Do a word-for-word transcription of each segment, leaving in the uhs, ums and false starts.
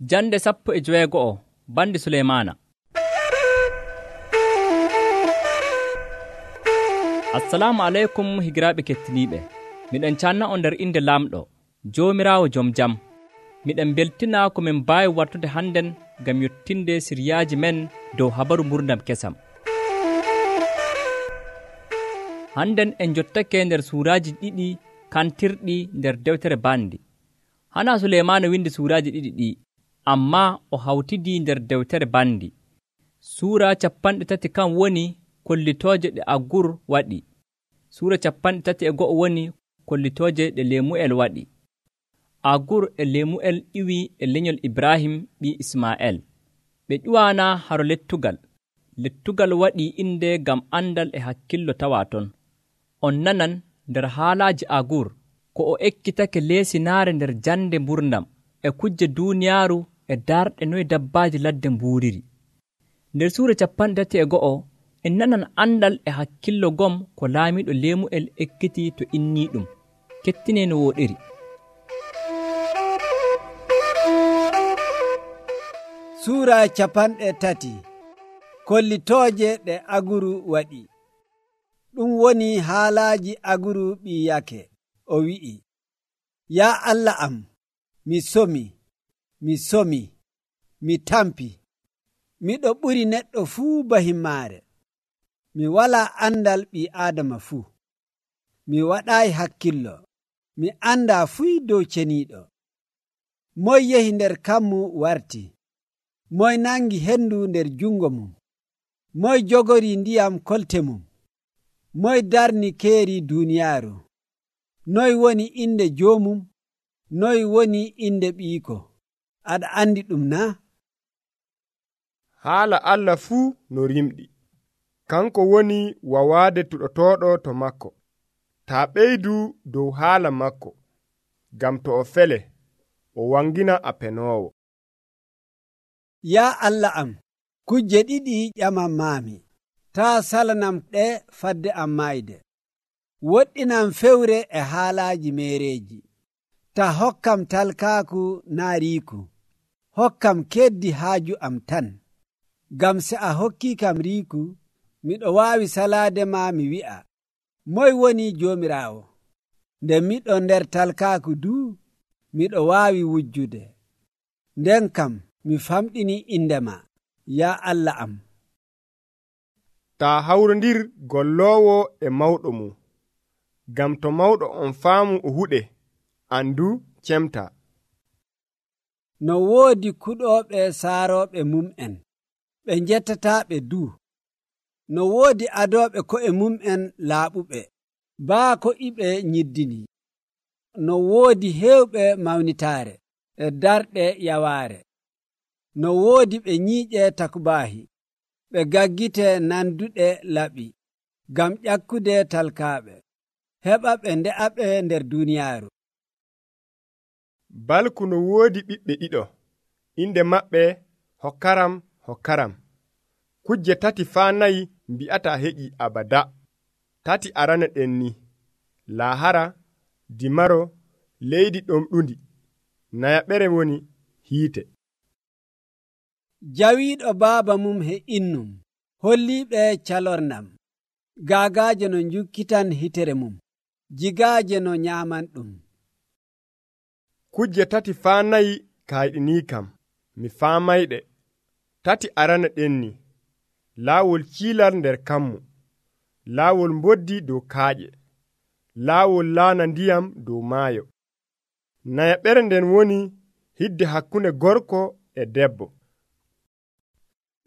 Jande sappo e joweego'o bandi Suleymaana. Assalamu aleykum higiraaɓe kettiniiɓe. Miɗen canna on nder inde Laamɗo, Joomiraawo jom jam. Miɗen beltina ko min mbaawi wartude hannden ngam yottinde siryaaji men dow habaru ngurdam kesam. Hannden en jottake nder suuraaji ɗiɗi kantirɗi nder dewtere bandi. Hana Suleymaana windi suuraaji ɗiɗi ɗi, ammaa o hawtidii nder dewtere bandi. Suura capanɗe tati kan woni kollitooje ɗe Agur waɗi. Suura capanɗe tati e go'o woni kollitooje ɗe Leemu'el waɗi. Agur e Leemu'el iwii e lenyol Ibrahim ɓii Ismaa'el. Ɓe ƴuwaana haro lettugal. Lettugal waɗii inde ngam andal e hakkillo tawaa ton. On nanan nder haalaaji Agur ko o ekkitake leesinaare nder jande mburdam e kujje duuniyaaru e darɗe noye dabbaaji ladde mbuuriri. Nder suura capanɗe tati e go'o en nanan andal e hakkillo gom ko laamiiɗo Leemu'el ekkiti to innii ɗum. Kettinee no wooɗiri. Suura capanɗe tati kollitooje ɗe Aguru waɗi. Ɗum woni haalaaji Aguru ɓii Yake. O wi'i, yaa Allah am, mi somi, mi somi, mi tampi. Miɗo ɓuri neɗɗo fuu bahimmaare. Mi walaa andal ɓii Aadama fuu. Mi waɗaayi hakkillo. Mi andaa fuy dow ceniiɗo. Moy yehi nder kammu warti? Moy nangi hendu nder jungo mum? Moy jogorii ndiyam kolte mum? Moy darni keeri duuniyaaru? Noy woni inde joomum? Noy woni inde ɓiiko? Aɗa andi ɗum na? Haala Allah fuu no rimɗi. Kanko woni wawaade tuɗotooɗo to makko. Taa ɓeydu dow haala makko, gam to o fele, o wangina a penoowo. Yaa Allah am, kujje ɗiɗi ƴamam maami. Taa salanam ɗe fadde am maayde. Woɗɗinam fewre e haalaaji meereeji. Ta hokkam talkaaku naa riiku. Hokkam keddi haaju am tan. Gam se a hokkikam riiku, miɗo waawi salaade ma mi wi'a, moy woni Joomiraawo? Nde miɗo nder talkaaku duu, miɗo waawi wujjude. Nden kam mi famɗini indema, yaa Allah am. Taa hawrondir golloowo e mawɗo mum, gam to mawɗo on faamu o huɗe, andu cemta. No woodi kuɗooɓe saarooɓe mum'en, ɓe njettataa ɓe duu. No woodi adooɓe ko'e mum'en laaɓuɓe, baa ko iɓe nyiddini. No woodi heewɓe mawnitaare e darɗe yawaare. No woodi ɓe nyiiƴe takubaahi, ɓe gaggite nanduɗe laɓi, gam ƴakkude talkaaɓe, heɓa ɓe nde'aɓe nder duuniyaaru. Balku no woodi ɓiɓɓe ɗiɗo, inde maɓɓe hokkaram hokkaram. Kujje tati faa nayi mbi'ata heƴi abada. Tati arana ɗen ni, laahara, dimaro, leydi ɗomɗundi, nayaɓere woni hiite. Jawiiɗo baaba mum he innum, holliiɓe calornam, gaagaaje no njukkitan hitere mum, jigaaje no nyaaman ɗum. Kujje tati faa nayi kayɗinii kam, mi faamayɗe. Tati arana ɗen ni, laawol ciilal nder kammu, laawol mboddi dow kaaƴe, laawol laana ndiyam dow maayo. Nayaɓere nden woni hidde hakkunde gorko e debbo.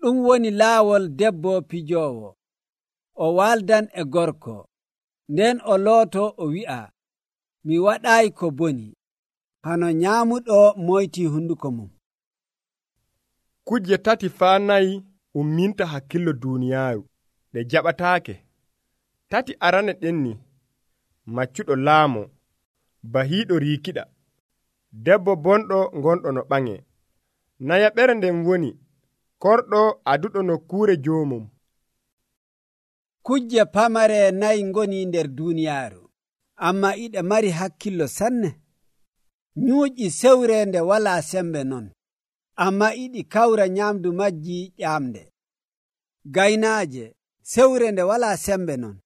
Ɗum woni laawol debbo pijoowo. O waldan e gorko, nden o looto o wi'a, mi waɗaayi ko boni, hano nyaamuɗo moytii hunduko mum. Kujje tati faa nayi umminta hakkillo duuniyaaru, ɗe jaɓataake. Tati arane ɗen ni, maccuɗo laamo, bahiiɗo riikiɗa, debbo bonɗo gonɗo no ɓaŋe. Nayaɓere nden woni korɗo aduɗo nokkuure joomum. Kujje pamare nayi ngoni nder duuniyaaru, amma iɗe mari hakkillo sanne. Nyuuƴi sewre nde walaa sembe non. ammaa iɗi kawra nyamdu majji ƴamde. Gaynaaje sewre nde walaa sembe non,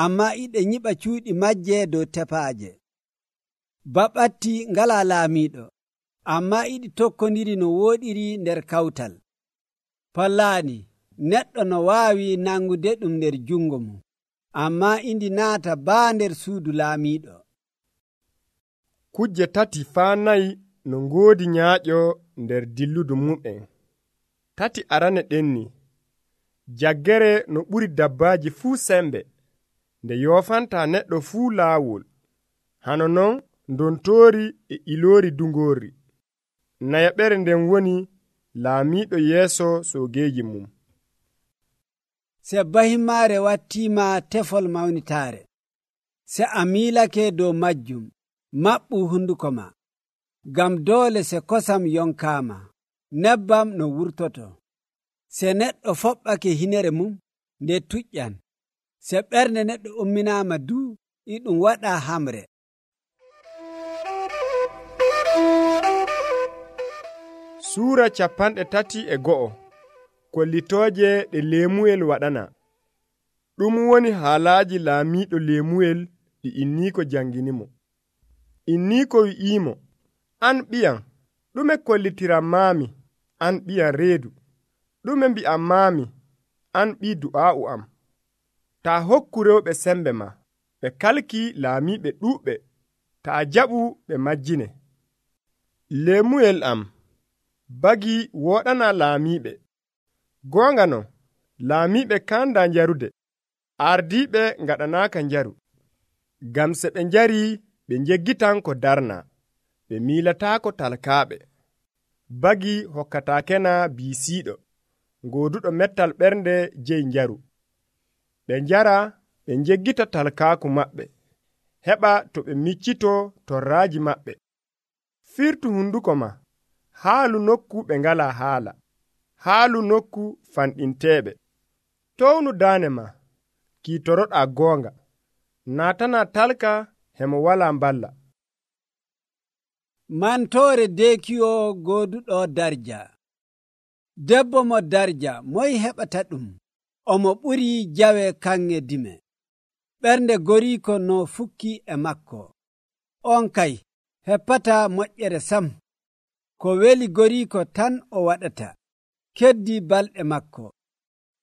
ammaa iɗe nyiɓa cuuɗi majje dow tepaaje. Baɓatti ngalaa laamiiɗo, ammaa iɗi tokkondiri no wooɗiri nder kawtal. Pallaani neɗɗo no waawi nangude ɗum nder jungo mum, ammaa indi naata baa nder suudu laamiiɗo. Kujje tati faa nayi no ngoodi nyaaƴo nder dilludu mum'en. Tati arane ɗenni jaggere no ɓuri dabbaaji fuu sembe, nde yoofanta neɗɗo fuu laawol, hano non ndontoori e iloori dungoori. Nayaɓere nden woni laamiiɗo yeeso soogeeji mum. Se bahimmaare wattiima tefol mawnitaare, se a miilake dow majjum, maɓɓu hunduko ma, ngam doole se kosam yonkaama, nebbam no wurtoto. Se neɗɗo foɓɓake hinere mum, nde tuƴƴan. Se ɓernde neɗɗo umminaama du, e ɗum waɗa hamre. Suura capanɗe tati e go'o. Kollitooje ɗe leemuyel waɗana. Ɗum woni haalaaji laamiiɗo leemuyel ɗi inniiko janginimo. Inniiko wi'iimo, an ɓiyam, ɗume kollitiram maami, an ɓiyam reedu. Ɗume mbi'am maami, an ɓii du'aa'u am. Taa hokku rewɓe sembe ma, ɓe kalki laamiiɓe ɗuuɓɓe, taa jaɓu ɓe majjine. Leemuyel am, bagi woɗana laamiiɓe. Goonga non, laamiiɓe kanda njarude, ardiiɓe ngaɗanaaka njaru. Gam se ɓe njarii, ɓe njeggitan ko darna, ɓe miilataako talkaaɓe. Bagi hokkataakena biisiiɗo, ngooduɗo mettal ɓernde jeyi njaru. Ɓe njara, ɓe njeggita talkaaku maɓɓe, heɓa to ɓe miccito torraaji maɓɓe. Firtu hunduko ma, haalu nokku ɓe ngalaa haala, haalu nokku fanɗinteeɓe. Townu daane ma, kiitoroɗaa goonga, naatana talka hemo walaa mballa. Mantoore deekiyo gooduɗo darja. Debbo mo darja moy heɓata ɗum, omo ɓuri jawe kanŋe dime. Ɓernde goriiko no fukki e makko, on kay heppata moƴƴere sam. Ko weli goriiko tan o waɗata, keddi balɗe makko.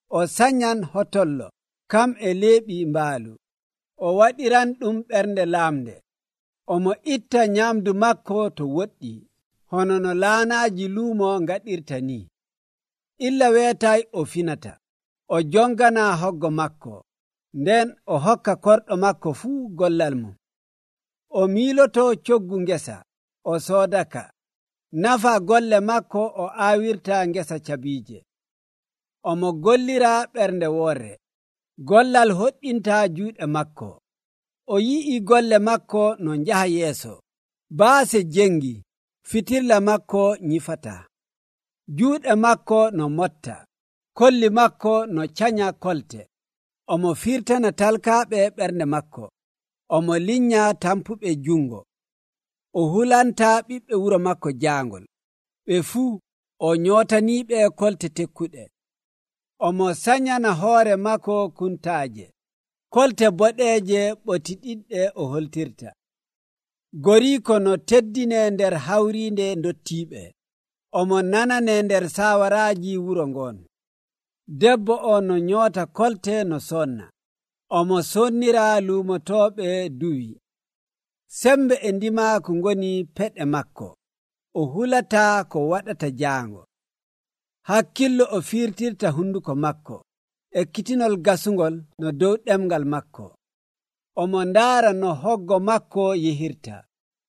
O sanyan hotollo, kam e leeɓi mbaalu. O waɗiran ɗum ɓernde laamde. Omo itta nyamdu makko to woɗɗi, hono no laanaaji luumo ngaɗirta ni. Illa weetay o finata, o jongana hoggo makko, nden o hokka korɗo makko fuu gollal mum. O miiloto coggu ngesa, o soodaka. Nafa golle makko o aawirta ngesa cabiije. Omo gollira ɓernde woore, gollal hoɗɗinta juuɗe makko. O yi'i golle makko no njaha yeeso, baase jengi, fitirla makko nyifata. Juuɗe makko no motta, kolli makko no canya kolte. Omo firtana talkaaɓe ɓernde makko, omo linya tampuɓe jungo. O hulanta ɓiɓɓe wuro makko jaangol, ɓe fuu o nyootaniiɓe kolte tekkuɗe. Omo sanyana hoore makko kuntaaje, kolte boɗeeje ɓotiɗiɗɗe o holtirta. Goriiko no teddine nder hawriinde ndottiiɓe, omo nanane nder saawaraaji wuro ngon. Debbo o no nyoota kolte no sonna, omo sonnira luumotooɓe duwi. Sembe e ndimaaku ngoni peɗe makko, o hulata ko waɗata jaango. Hakkillo o firtirta hunduko makko, ekkitinol gasungol no dow ɗemgal makko. Omo ndaara no hoggo makko yehirta,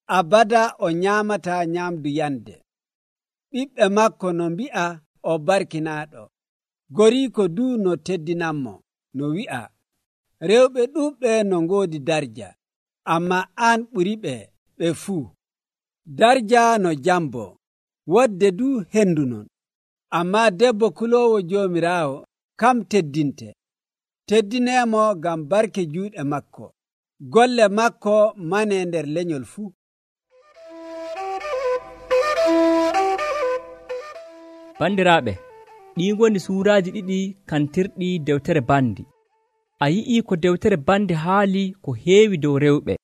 abada o nyaamata nyamdu yande. Ɓiɓɓe makko no mbi'a o barkinaaɗo, goriiko du no teddinanmo, no wi'a, rewɓe ɗuuɓɓe no ngoodi darja, amma an ɓuriɓe ɓe fuu. Darja no jambo, wodde du hendu non, amma debbo kuloowo Joomiraawo kam teddinte. Teddineemo ngam barke juuɗe makko, golle makko mane nder lenyol fuu. Bandiraaɓe, ɗii ngoni suuraaji ɗiɗi kantirɗi dewtere bandi. A yi'ii ko dewtere bandi haali ko heewi dow rewɓe.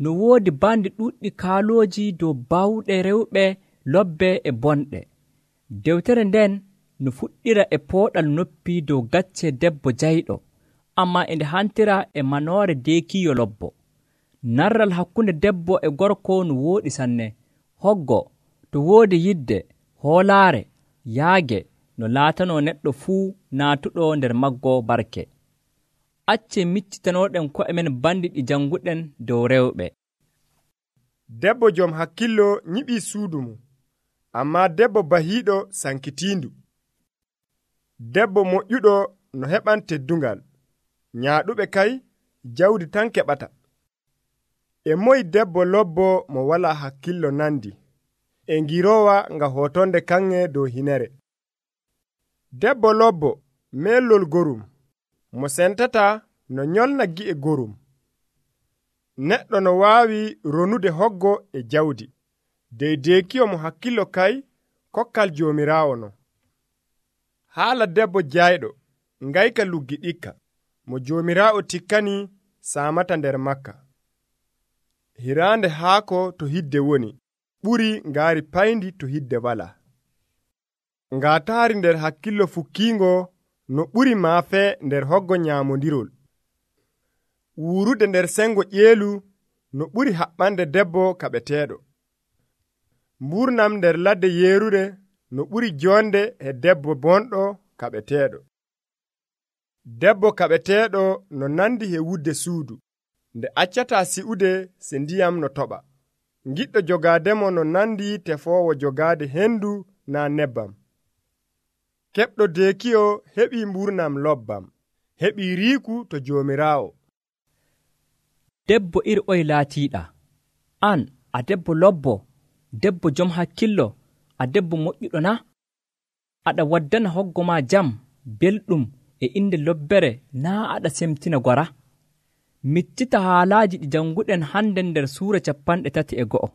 No woodi bandi ɗuɗɗi kaalooji dow bawɗe rewɓe lobbe e bonɗe. Dewtere nden no fuɗɗira e pooɗal noppi dow gacce debbo jayɗo, ammaa e nde hantira e manoore deekiiyo lobbo. Narral hakkunde debbo e gorko no wooɗi sanne. Hoggo to woodi yidde, hoolaare, yaage no laatanoo neɗɗo fuu naatuɗo nder maggo barke. Accen miccitanooɗen ko'e men bandi ɗi janguɗen dow rewɓe. Debbo jom hakkillo nyiɓii suudu mum, ammaa debbo bahiiɗo sankitiindu. Debbo moƴƴuɗo no heɓan teddungal, nyaaɗuɓe kay jawdi tan keɓata. E moy debbo lobbo mo walaa hakkillo nandi, e ngiroowa nga hootonde kanŋe dow hinere. Debbo lobbo meellol gorum, mo sentata no nyolna gi'e gorum. Neɗɗo no waawi ronude hoggo e jawdi, deydeekiyo mo hakkillo kay kokkal Joomiraawo no. Haala debbo jayɗo ngayka luggi ɗikka, mo Joomiraawo tikkani saamata nder Makka. Hiraande haako to hidde woni ɓuri ngaari payndi to hidde walaa. Ngaataari nder hakkillo fukkiingo no ɓuri maafe nder hoggo nyaamondirol. Wuurude nder sengo ƴeelu no ɓuri haɓɓande debbo kaɓeteeɗo. Mburnam nder ladde yeerude no ɓuri jonde e debbo bonɗo kaɓeteeɗo. Debbo kaɓeteeɗo no nandi e wudde suudu, nde accataa si'ude se ndiyam no toɓa. Giɗɗo jogaademo no nandi tefoowo jogaade hendu naa nebbam. Keɓɗo deekiyo heɓii mburnam lobbam, heɓii riiku to Joomiraawo. Debbo ir'oy laatiiɗa, an a debbo lobbo, debbo jom hakkillo, a debbo moƴƴuɗo na? Aɗa waddana hoggo ma jam belɗum e inde lobbere naa aɗa semtina gora? Miccita haalaaji ɗi janguɗen hande nder suura capanɗe tati e go'o.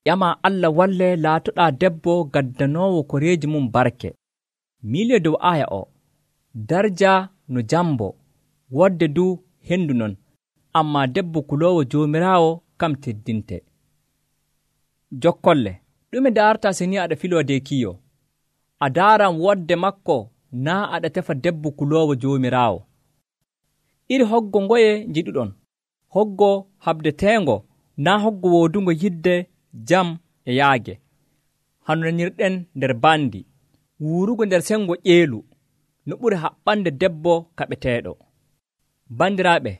Ƴama Allah walle laatoɗaa debbo gaddanoowo koreeji mum barke. Miile dow aya o, darja no jambo, wodde du hendu non, ammaa debbo kuloowo Joomiraawo kam teddinte. Jokkolle, ɗume daarta se ni aɗa filoo deekiyo? A daaram wodde makko naa aɗa tefa debbo kuloowo Joomiraawo. Iri hoggo ngoye njiɗuɗon, hoggo habdeteengo naa hoggo woodungo yidde jam e yaage. Hano nanirɗen nder bandi, wuurugo nder sengo ƴeelu no ɓuri haɓɓande debbo kaɓeteeɗo. Bandiraaɓe,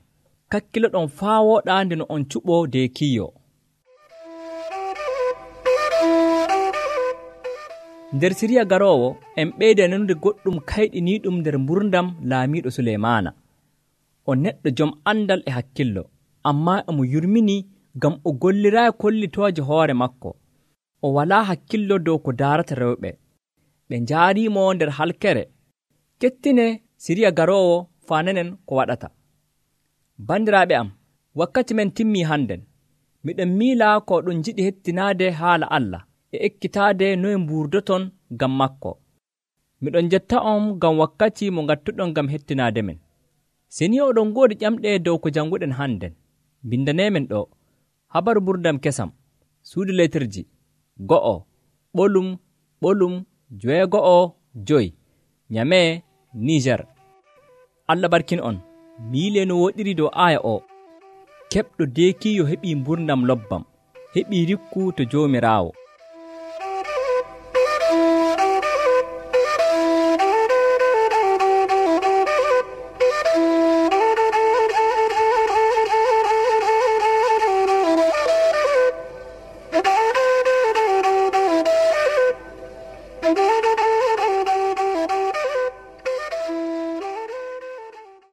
kakkiloɗon faa wooɗaa nde no on cuɓoo deekiyo. Nder siriya garoowo en ɓeyda nanude goɗɗum kayɗiniiɗum nder mburdam laamiiɗo Suleymaana. O neɗɗo jom andal e hakkillo, ammaa emo yurmini ngam o golliraayi kollitooje hoore makko. O walaa hakkillo dow ko daarata rewɓe. Ɓe njaariimo nder halkere. Kettine siriya garoowo faananen ko waɗata. Bandiraaɓe am, wakkati men timmii hannden. Miɗon miila ko ɗum jiɗi hettinaade haala Allah e ekkitaade noye mbuurdoton ngam makko. Miɗon jetta on ngam wakkati mo ngattuɗon ngam hettinaade men. Se ni oɗon ngoodi ƴamɗe dow ko janguɗen hannden, bindaneemen ɗo habaru ɓurdam kesam, suudu letirji go'o ɓolum ɓolum joweego'o joyi, Nyamee, Niger. Allah barkin on. Miile no woɗiri dow aya o. Keɓɗo deekiyo heɓii mburdam lobbam, heɓii rikku to Joomiraawo.